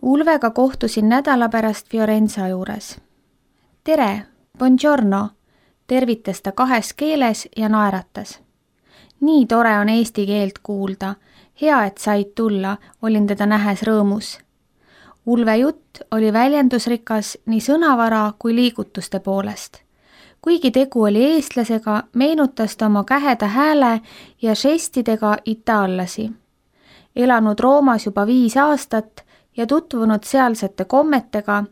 Ulvega kohtusin nädala pärast Fiorenza juures. Tere, buongiorno, tervitas ta 2 keeles ja naeratas. Nii tore on eesti keelt kuulda, hea, et said tulla, olin teda nähes rõõmus. Ulve jutt oli väljendusrikas nii sõnavara kui liigutuste poolest. Kuigi tegu oli eestlasega, meenutas ta oma käheda hääle ja žestidega itaallasi. Elanud Roomas juba 5 aastat ja tutvunud sealsete kommetega,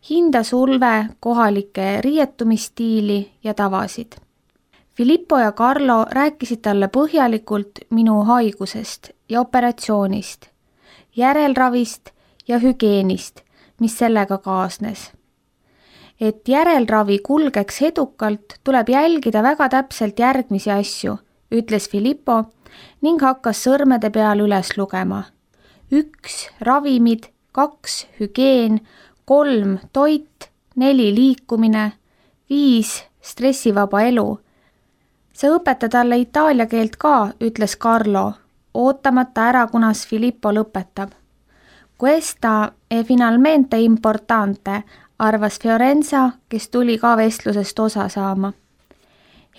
hindas Ulve kohalike riietumistiili ja tavasid. Filippo ja Carlo rääkisid talle põhjalikult minu haigusest ja operatsioonist, järelravist ja hügienist, mis sellega kaasnes. Et järelravi kulgeks edukalt, tuleb jälgida väga täpselt järgmisi asju, ütles Filippo ning hakkas sõrmede peal üles lugema. 1 ravimid, 2 hügieen, 3 toit, 4 liikumine, 5 stressivaba elu. Sa õpeta talle itaalia keelt ka, ütles Carlo, ootamata ära, kunas Filippo lõpetab. Questa è finalmente importante, arvas Fiorenza, kes tuli ka vestlusest osa saama.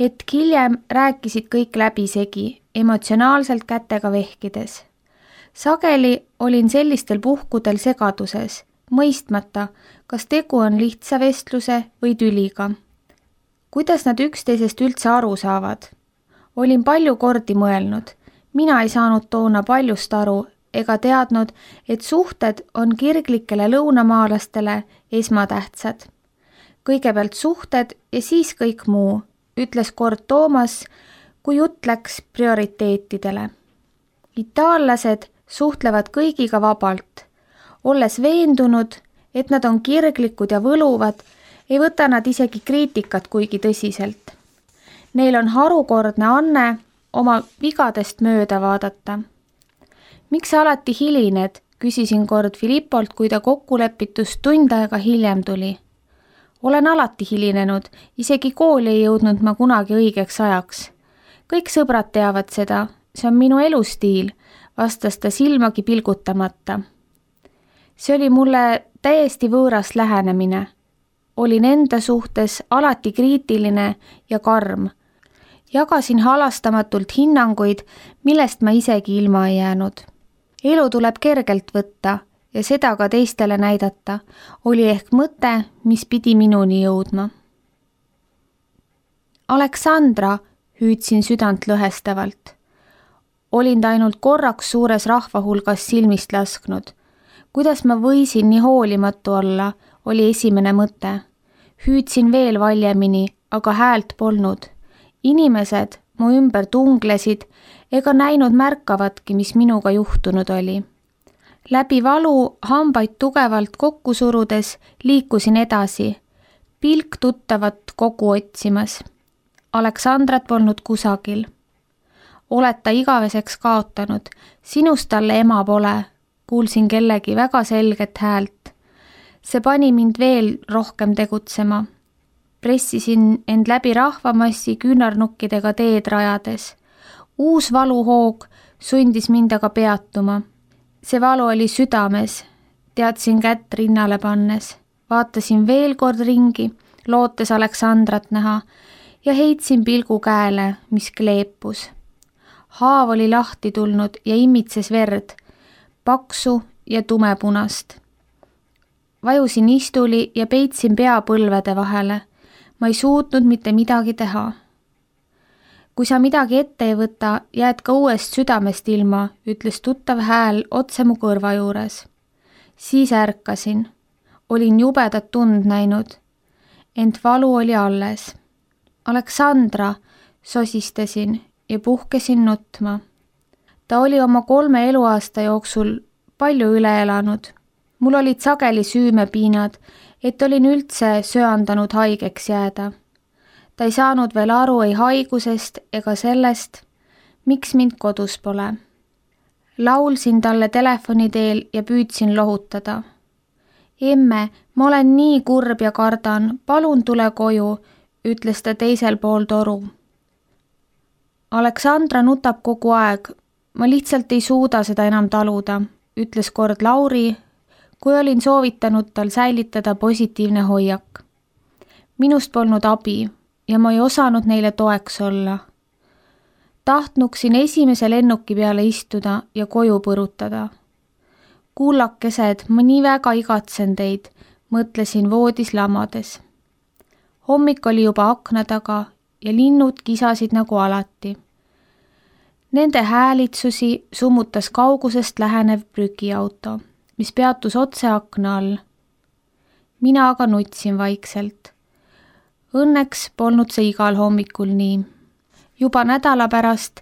Hetk hiljem rääkisid kõik läbisegi, emotsionaalselt kätega vehkides. Sageli olin sellistel puhkudel segaduses, mõistmata, kas tegu on lihtsa vestluse või tüliga. Kuidas nad üksteisest üldse aru saavad? Olin palju kordi mõelnud. Mina ei saanud toona paljust aru ega teadnud, et suhted on kirglikele lõunamaalastele esmatähtsad. Kõigepealt suhted ja siis kõik muu, ütles kord Toomas, kui jutt läks prioriteetidele. Itaallased suhtlevad kõigiga vabalt. Olles veendunud, et nad on kirglikud ja võluvad, ei võta nad isegi kriitikat kuigi tõsiselt. Neil on harukordne anne oma vigadest mööda vaadata. Miks sa alati hilined, küsisin kord Filippolt, kui ta kokkulepitust tund aega hiljem tuli. Olen alati hilinenud, isegi kooli ei jõudnud ma kunagi õigeks ajaks. Kõik sõbrad teavad seda, see on minu elustiil, vastas ta silmagi pilgutamata. See oli mulle täiesti võõras lähenemine. Olin enda suhtes alati kriitiline ja karm. Jagasin halastamatult hinnanguid, millest ma isegi ilma ei jäänud. Elu tuleb kergelt võtta ja seda ka teistele näidata, oli ehk mõte, mis pidi minuni jõudma. Aleksandra, hüüdsin südant lõhestavalt. Olin ta ainult korraks suures rahvahulgas silmist lasknud. Kuidas ma võisin nii hoolimatu olla, oli esimene mõte. Hüüdsin veel valjemini, aga häält polnud. Inimesed mu ümber tunglesid ega näinud märkavatki, mis minuga juhtunud oli. Läbi valu hambaid tugevalt kokku surudes liikusin edasi, pilk tuttavat kogu otsimas. Aleksandrat polnud kusagil. Oled ta igaveseks kaotanud, sinust talle ema pole, kuulsin kellegi väga selget häält. See pani mind veel rohkem tegutsema. Pressisin end läbi rahvamassi küünarnukkidega teed rajades. Uus valuhoog sundis mind aga peatuma. See valu oli südames, teadsin kätt rinnale pannes. Vaatasin veel kord ringi, lootes Aleksandrat näha ja heitsin pilgu käele, mis kleepus. Haav oli lahti tulnud ja imitses verd, paksu ja tumepunast. Vajusin istuli ja peitsin pea põlvede vahele. Ma ei suutnud mitte midagi teha. Kui sa midagi ette ei võta, jääd ka uuest südamest ilma, ütles tuttav hääl otse mu kõrva juures. Siis ärkasin. Olin jubedat tund näinud. Ent valu oli alles. Aleksandra, sosistasin ja puhkesin nutma. Ta oli oma 3 eluaasta jooksul palju üle elanud. Mul olid sageli süümepiinad, et olin üldse söandanud haigeks jääda. Ta ei saanud veel aru ei haigusest ega sellest, miks mind kodus pole. Laulsin talle telefoni teel ja püüdsin lohutada. Emme, ma olen nii kurb ja kardan, palun tule koju, ütles ta teisel pool toru. Aleksandra nutab kogu aeg, ma lihtsalt ei suuda seda enam taluda, ütles kord Lauri, kui olin soovitanud tal säilitada positiivne hoiak. Minust polnud abi ja ma ei osanud neile toeks olla. Tahtnuksin esimese lennuki peale istuda ja koju põrutada. Kullakesed, ma nii väga igatsen teid, mõtlesin voodis lamades. Hommik oli juba akna taga ja linnud kisasid nagu alati. Nende häälitsusi summutas kaugusest lähenev prügiauto, mis peatus otse akna all. Mina aga nutsin vaikselt. Õnneks polnud see igal hommikul nii. Juba nädala pärast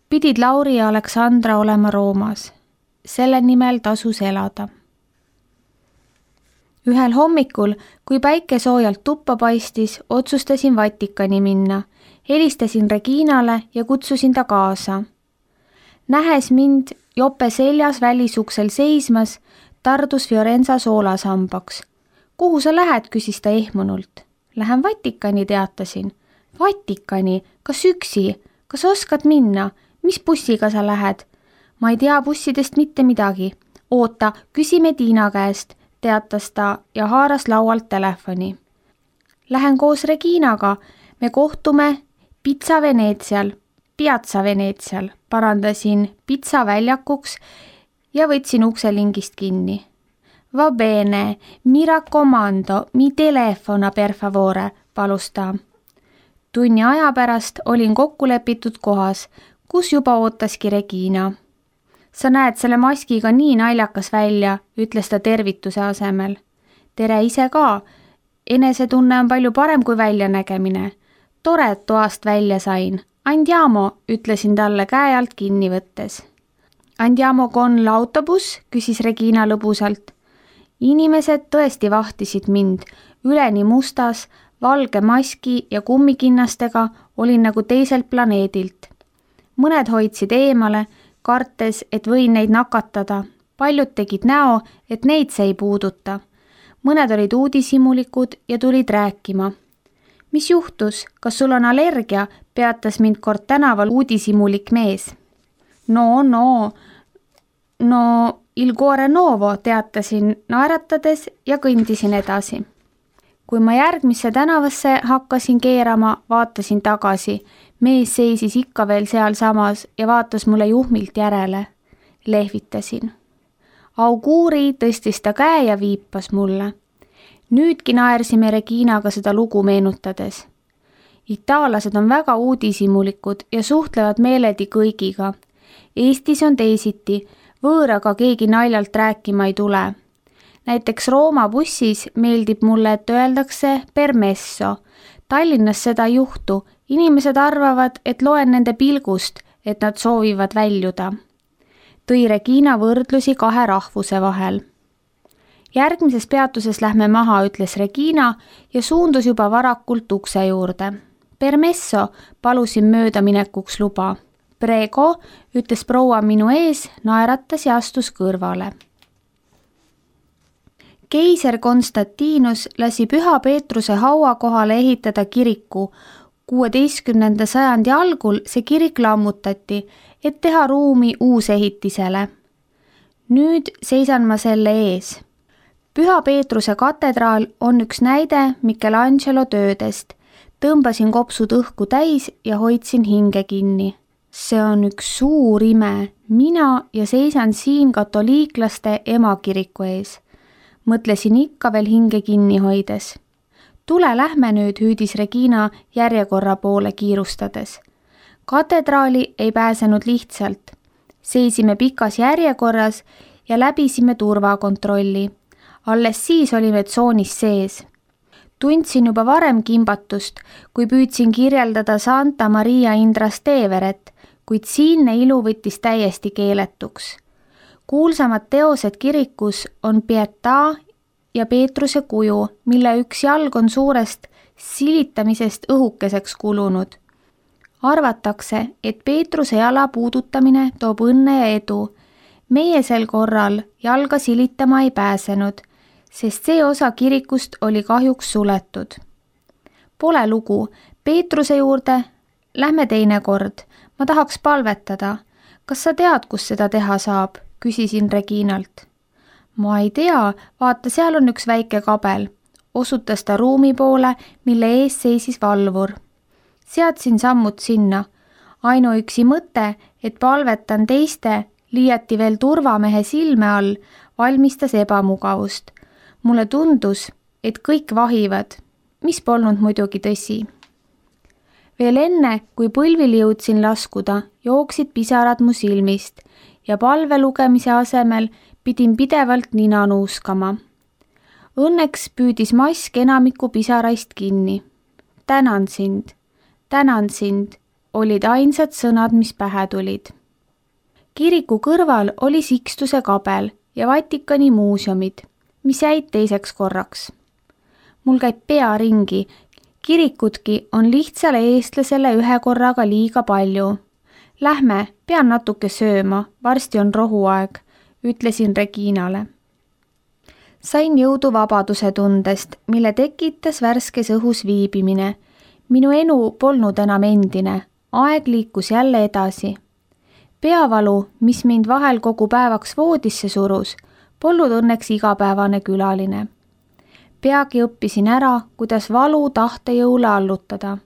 pidid Lauri ja Aleksandra olema Roomas. Selle nimel tasus elada. Ühel hommikul, kui päike soojalt tuppa paistis, otsustasin Vatikani minna. Helistasin Reginale ja kutsusin ta kaasa. Nähes mind jope seljas välisuksel seismas, tardus Fiorenza soolasambaks. Kuhu sa lähed, küsis ta ehmunult. Lähen Vatikani, teatasin. Vatikani? Kas üksi? Kas oskad minna? Mis bussiga sa lähed? Ma ei tea bussidest mitte midagi. Oota, küsime Tiina käest, teatas ta ja haaras laualt telefoni. Lähen koos Reginaga. Me kohtume Piazza Venetsial, parandasin Pizza väljakuks ja võtsin ukselingist kinni. Va bene, mi raccomando, mi telefona per favore, palus ta. Tunni aja pärast olin kokkulepitud kohas, kus juba ootaski Regina. Sa näed selle maskiga nii naljakas välja, ütles ta tervituse asemel. Tere ise ka. Enesetunne on palju parem kui väljanägemine. Tore, et toast välja sain. Andiamo, ütlesin talle käe alt kinni võttes. Andiamo con l'autobus, küsis Regina lõbusalt. Inimesed tõesti vahtisid mind. Üleni mustas, valge maski ja kummikinnastega olin nagu teiselt planeedilt. Mõned hoidsid eemale, kartes, et võin neid nakatada. Paljud tegid näo, et neid see ei puuduta. Mõned olid uudishimulikud ja tulid rääkima. Mis juhtus? Kas sul on allergia? Peatas mind kord tänaval uudishimulik mees. No, il cuore novo, teatasin naeratades ja kõndisin edasi. Kui ma järgmisse tänavasse hakkasin keerama, vaatasin tagasi. Mees seisis ikka veel seal samas ja vaatas mulle juhmilt järele. Lehvitasin. Auguuri tõstis ta käe ja viipas mulle. Nüüdki naersime Reginaga seda lugu meenutades. Itaallased on väga uudishimulikud ja suhtlevad meeledi kõigiga. Eestis on teisiti, võõraga keegi naljalt rääkima ei tule. Näiteks Rooma bussis meeldib mulle, et öeldakse permesso. Tallinnas seda ei juhtu. Inimesed arvavad, et loen nende pilgust, et nad soovivad väljuda. Tõi Regina võrdlusi kahe rahvuse vahel. Järgmises peatuses lähme maha, ütles Regina ja suundus juba varakult ukse juurde. Permesso, palusin möödaminekuks luba. Prego, ütles proua minu ees, naeratas ja astus kõrvale. Keiser Konstantinus lasi Püha Peetruse haua kohale ehitada kiriku. 16. sajandi algul see kirik lammutati, et teha ruumi uusehitisele. Nüüd seisan ma selle ees. Püha Peetruse katedraal on üks näide Michelangelo töödest. Tõmbasin kopsud õhku täis ja hoidsin hinge kinni. See on üks suur ime. Mina ja seisan siin katoliiklaste emakiriku ees. Mõtlesin ikka veel hinge kinni hoides. Tule lähme nüüd, hüüdis Regina järjekorra poole kiirustades. Katedraali ei pääsenud lihtsalt. Seisime pikas järjekorras ja läbisime turvakontrolli. Alles siis olime tsoonis sees. Tundsin juba varem kimbatust, kui püüdsin kirjeldada Santa Maria in Trasteveret, kuid siinne ilu võttis täiesti keeletuks. Kuulsamad teosed kirikus on Pietà ja Peetruse kuju, mille üks jalg on suurest silitamisest õhukeseks kulunud. Arvatakse, et Peetruse jala puudutamine toob õnne ja edu. Meie sel korral jalga silitama ei pääsenud, sest see osa kirikust oli kahjuks suletud. Pole lugu, Peetruse juurde lähme teine kord. Ma tahaks palvetada. Kas sa tead, kus seda teha saab? Küsisin Reginalt. Ma ei tea, vaata, seal on üks väike kabel. Osutas ta ruumi poole, mille ees seisis valvur. Seadsin sammud sinna. Ainuüksi mõte, et palvetan teiste, liiati veel turvamehe silme all, valmistas ebamugavust. Mulle tundus, et kõik vahivad, mis polnud muidugi tõsi. Veel enne, kui põlvili jõudsin laskuda, jooksid pisarad mu silmist ja palve lugemise asemel pidin pidevalt nina nuuskama. Õnneks püüdis mask enamiku pisaraist kinni. Tänan sind, olid ainsad sõnad, mis pähe tulid. Kiriku kõrval oli Sikstuse kabel ja Vatikani muuseumid, mis jäid teiseks korraks. Mul käib pea ringi, kirikutki on lihtsale eestlasele ühe korraga liiga palju. Lähme, pean natuke sööma, varsti on rohuaeg, ütlesin Reginale. Sain jõudu vabaduse tundest, mille tekitas värskes õhus viibimine. Minu elu polnud enam endine, aeg liikus jälle edasi. Peavalu, mis mind vahel kogu päevaks voodisse surus, polnud õnneks igapäevane külaline. Peagi õppisin ära, kuidas valu tahtejõule allutada.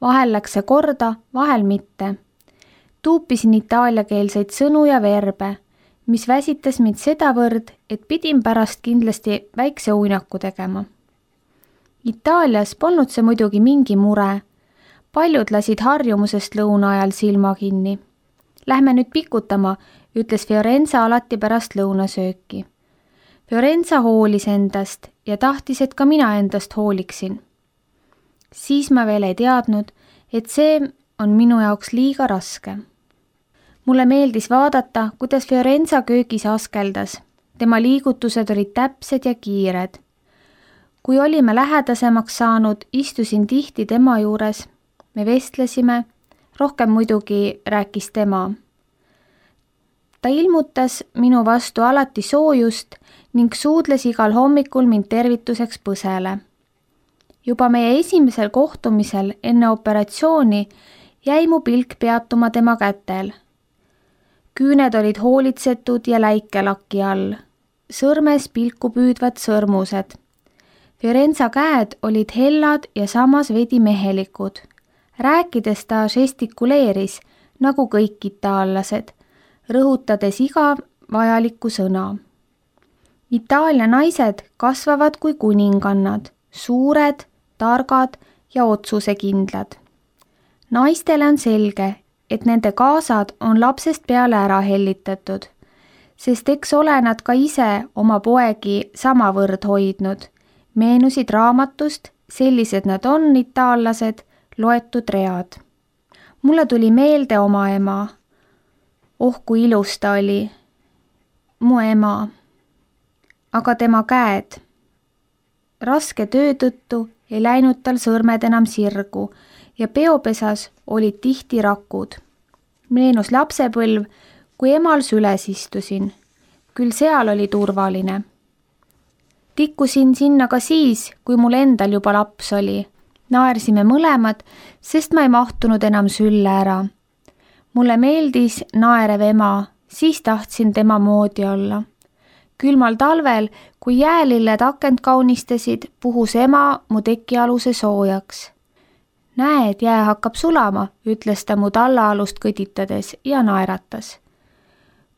Vahel läks see korda, vahel mitte. Tuupisin itaaliakeelseid sõnu ja verbe, mis väsitas mind sedavõrd, et pidin pärast kindlasti väikse uinaku tegema. Itaalias polnud see muidugi mingi mure. Paljud lasid harjumusest lõuna ajal silma kinni. Lähme nüüd pikutama, ütles Fiorenza alati pärast lõunasööki. Fiorenza hoolis endast ja tahtis, et ka mina endast hooliksin. Siis ma veel ei teadnud, et see on minu jaoks liiga raske. Mulle meeldis vaadata, kuidas Fiorenza köögis askeldas. Tema liigutused olid täpsed ja kiired. Kui olime lähedasemaks saanud, istusin tihti tema juures. Me vestlesime, rohkem muidugi rääkis tema. Ta ilmutas minu vastu alati soojust ning suudles igal hommikul mind tervituseks põsele. Juba meie esimesel kohtumisel enne operatsiooni jäi mu pilk peatuma tema kätel. Küüned olid hoolitsetud ja läikelaki all. Sõrmes pilku püüdvad sõrmused. Fiorenza käed olid hellad ja samas veidi mehelikud. Rääkides ta žestikuleeris, nagu kõik itaallased, rõhutades iga vajalikku sõna. Itaalia naised kasvavad kui kuningannad, suured, targad ja otsusekindlad. Naistele on selge, et nende kaasad on lapsest peale ära hellitatud, sest eks ole nad ka ise oma poegi samavõrd hoidnud. Meenusid raamatust, sellised nad on, itaallased, loetud read. Mulle tuli meelde oma ema. Oh, kui ilus ta oli. Mu ema. Aga tema käed. Raske töö tõttu ei läinud tal sõrmed enam sirgu ja peopesas olid tihti rakud. Meenus lapsepõlv, kui emal süles istusin. Küll seal oli turvaline. Tikkusin sinna ka siis, kui mul endal juba laps oli. Naersime mõlemad, sest ma ei mahtunud enam sülle ära. Mulle meeldis naerev ema, siis tahtsin tema moodi olla. Külmal talvel, kui jäälilled akent kaunistasid, puhus ema mu tekialuse soojaks. Näed, jää hakkab sulama, ütles ta mu tallaalust kõditades ja naeratas.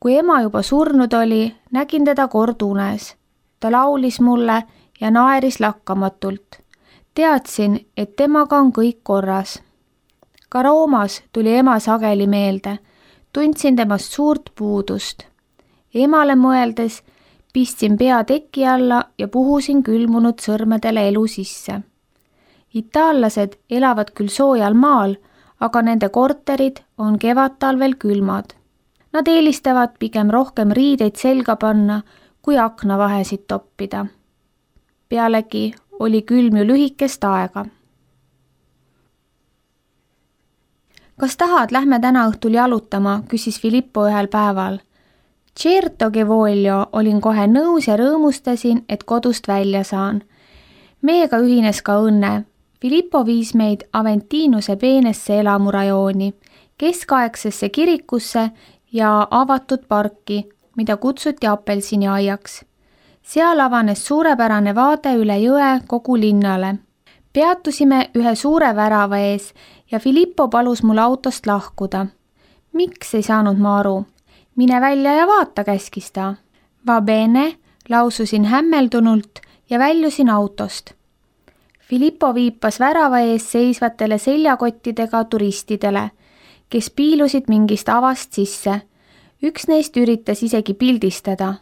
Kui ema juba surnud oli, nägin teda kord unes. Ta laulis mulle ja naeris lakkamatult. Teadsin, et temaga on kõik korras. Ka Roomas tuli ema sageli meelde. Tundsin temast suurt puudust. Emale mõeldes pistsin pea teki alla ja puhusin külmunud sõrmedele elu sisse. Itaallased elavad küll soojal maal, aga nende korterid on kevadtalvel külmad. Nad eelistavad pigem rohkem riideid selga panna, kui aknavahesid toppida. Pealegi oli külm ju lühikest aega. Kas tahad, lähme täna õhtul jalutama, küsis Filippo ühel päeval. Certo che voglio, olin kohe nõus ja rõõmustasin, et kodust välja saan. Meiega ühines ka õnne. Filippo viis meid Aventinuse peenesse elamurajooni, keskaegsesse kirikusse ja avatud parki, mida kutsuti apelsiniaiaks. seal avanes suurepärane vaade üle jõe kogu linnale. Peatusime ühe suure värava ees ja Filippo palus mul autost lahkuda. Miks ei saanud ma aru? Mine välja ja vaata, käskis ta. Va bene, laususin hämmeldunult ja väljusin autost. Filippo viipas värava ees seisvatele seljakottidega turistidele, kes piilusid mingist avast sisse. Üks neist üritas isegi pildistada.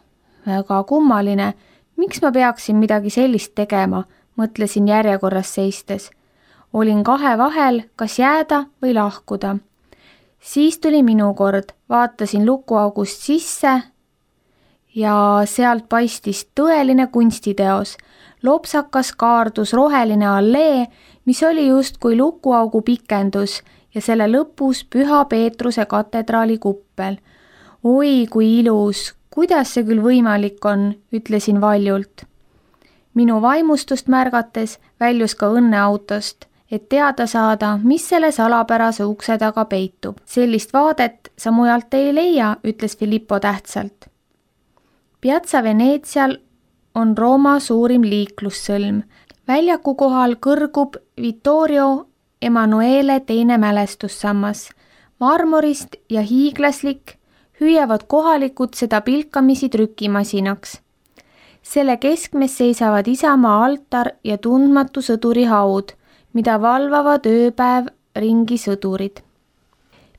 Väga kummaline, miks ma peaksin midagi sellist tegema, mõtlesin järjekorras seistes. Olin kahe vahel, kas jääda või lahkuda. Siis tuli minu kord, vaatasin lukuaugust sisse ja sealt paistis tõeline kunstiteos. Lopsakas kaardus roheline allee, mis oli justkui lukuaugu pikendus ja selle lõpus Püha Peetruse katedraali kuppel. Oi, kui ilus, kuidas see küll võimalik on, ütlesin valjult. Minu vaimustust märgates väljus ka õnneautost, et teada saada, mis selle salapärase ukse taga peitub. Sellist vaadet sa mujalt ei leia, ütles Filippo tähtsalt. Piazza Venetsial on Rooma suurim liiklussõlm. Väljaku kohal kõrgub Vittorio Emanuele teine mälestussammas. Marmorist ja hiiglaslik hüüavad kohalikud seda pilkamisi trükimasinaks. Selle keskmes seisavad Isamaa altar ja tundmatu sõduri haud, mida valvavad ööpäev ringi sõdurid.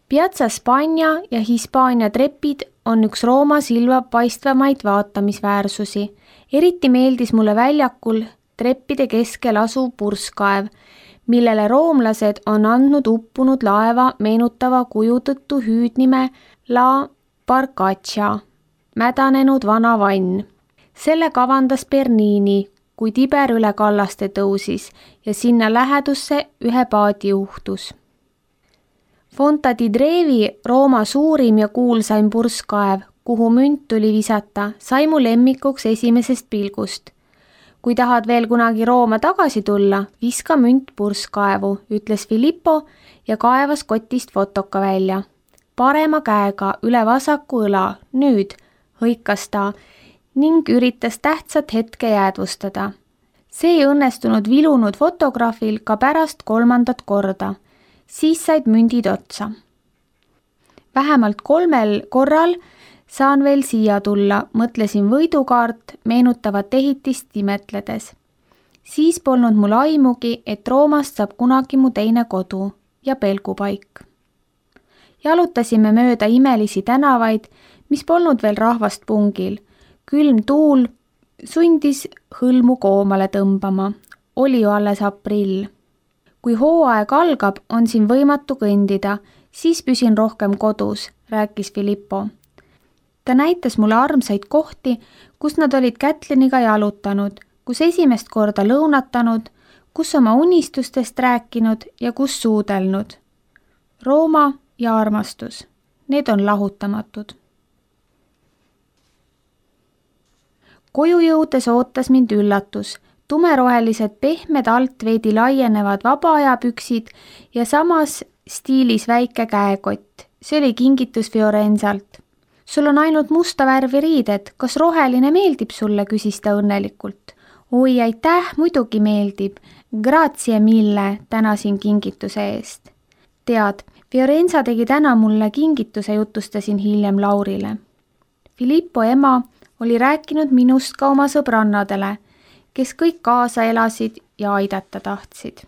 Piazza Spagna ja Hispaania trepid on üks Rooma silma paistvamaid vaatamisväärsusi. Eriti meeldis mulle väljakul treppide keskel asuv purskkaev, millele roomlased on andnud uppunud laeva meenutava kuju tõttu hüüdnime La Barcaccia, mädanenud vana vann. Selle kavandas Bernini, kui Tiber üle kallaste tõusis ja sinna lähedusse ühe paadi uhtus. Fonta di Trevi, Rooma suurim ja kuulsaim purskkaev, kuhu münt tuli visata, sai mu lemmikuks esimesest pilgust. Kui tahad veel kunagi Rooma tagasi tulla, viska münt purskkaevu, ütles Filippo ja kaevas kotist fotoka välja. Parema käega üle vasaku õla, nüüd, hõikas ta ning üritas tähtsat hetke jäädvustada. See ei õnnestunud vilunud fotograafil ka pärast 3. korda. Siis said mündid otsa. Vähemalt 3 korral saan veel siia tulla, mõtlesin võidukaart meenutavat ehitist imetledes. Siis polnud mul aimugi, et Roomast saab kunagi mu teine kodu ja pelgupaik. Jalutasime mööda imelisi tänavaid, mis polnud veel rahvast pungil. Külm tuul sundis hõlmu koomale tõmbama. Oli ju alles aprill. Kui hooaeg algab, on siin võimatu kõndida, siis püsin rohkem kodus, rääkis Filippo. Ta näitas mulle armsaid kohti, kus nad olid Kätliniga jalutanud, kus esimest korda lõunatanud, kus oma unistustest rääkinud ja kus suudelnud. Rooma ja armastus, need on lahutamatud. Koju jõudes ootas mind üllatus. Tumerohelised pehmed alt veidi laienevad vabaajapüksid ja samas stiilis väike käekott. See oli kingitus Fiorenzalt. Sul on ainult musta värvi riided, kas roheline meeldib sulle, küsis ta õnnelikult. Oi, aitäh, muidugi meeldib. Grazie mille, tänasin kingituse eest. Tead, Fiorenza tegi täna mulle kingituse, jutustasin hiljem Laurile. Filippo ema oli rääkinud minust ka oma sõbrannadele, kes kõik kaasa elasid ja aidata tahtsid.